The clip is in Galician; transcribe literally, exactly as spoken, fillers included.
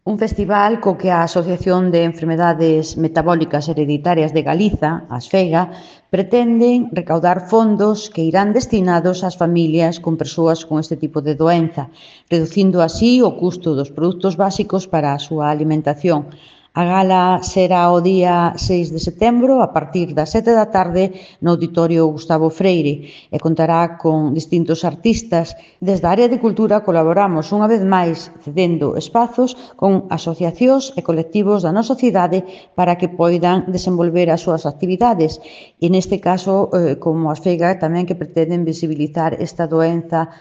Un festival co que a Asociación de Enfermedades Metabólicas Hereditarias de Galiza, ASFEGA, pretenden recaudar fondos que irán destinados ás familias con persoas con este tipo de doenza, reducindo así o custo dos produtos básicos para a súa alimentación. A gala será o día seis de setembro a partir das sete da tarde no Auditorio Gustavo Freire e contará con distintos artistas. Desde a área de cultura colaboramos unha vez máis cedendo espazos con asociacións e colectivos da nosa cidade para que poidan desenvolver as súas actividades e neste caso, eh, como a Asfega, tamén que pretenden visibilizar esta doenza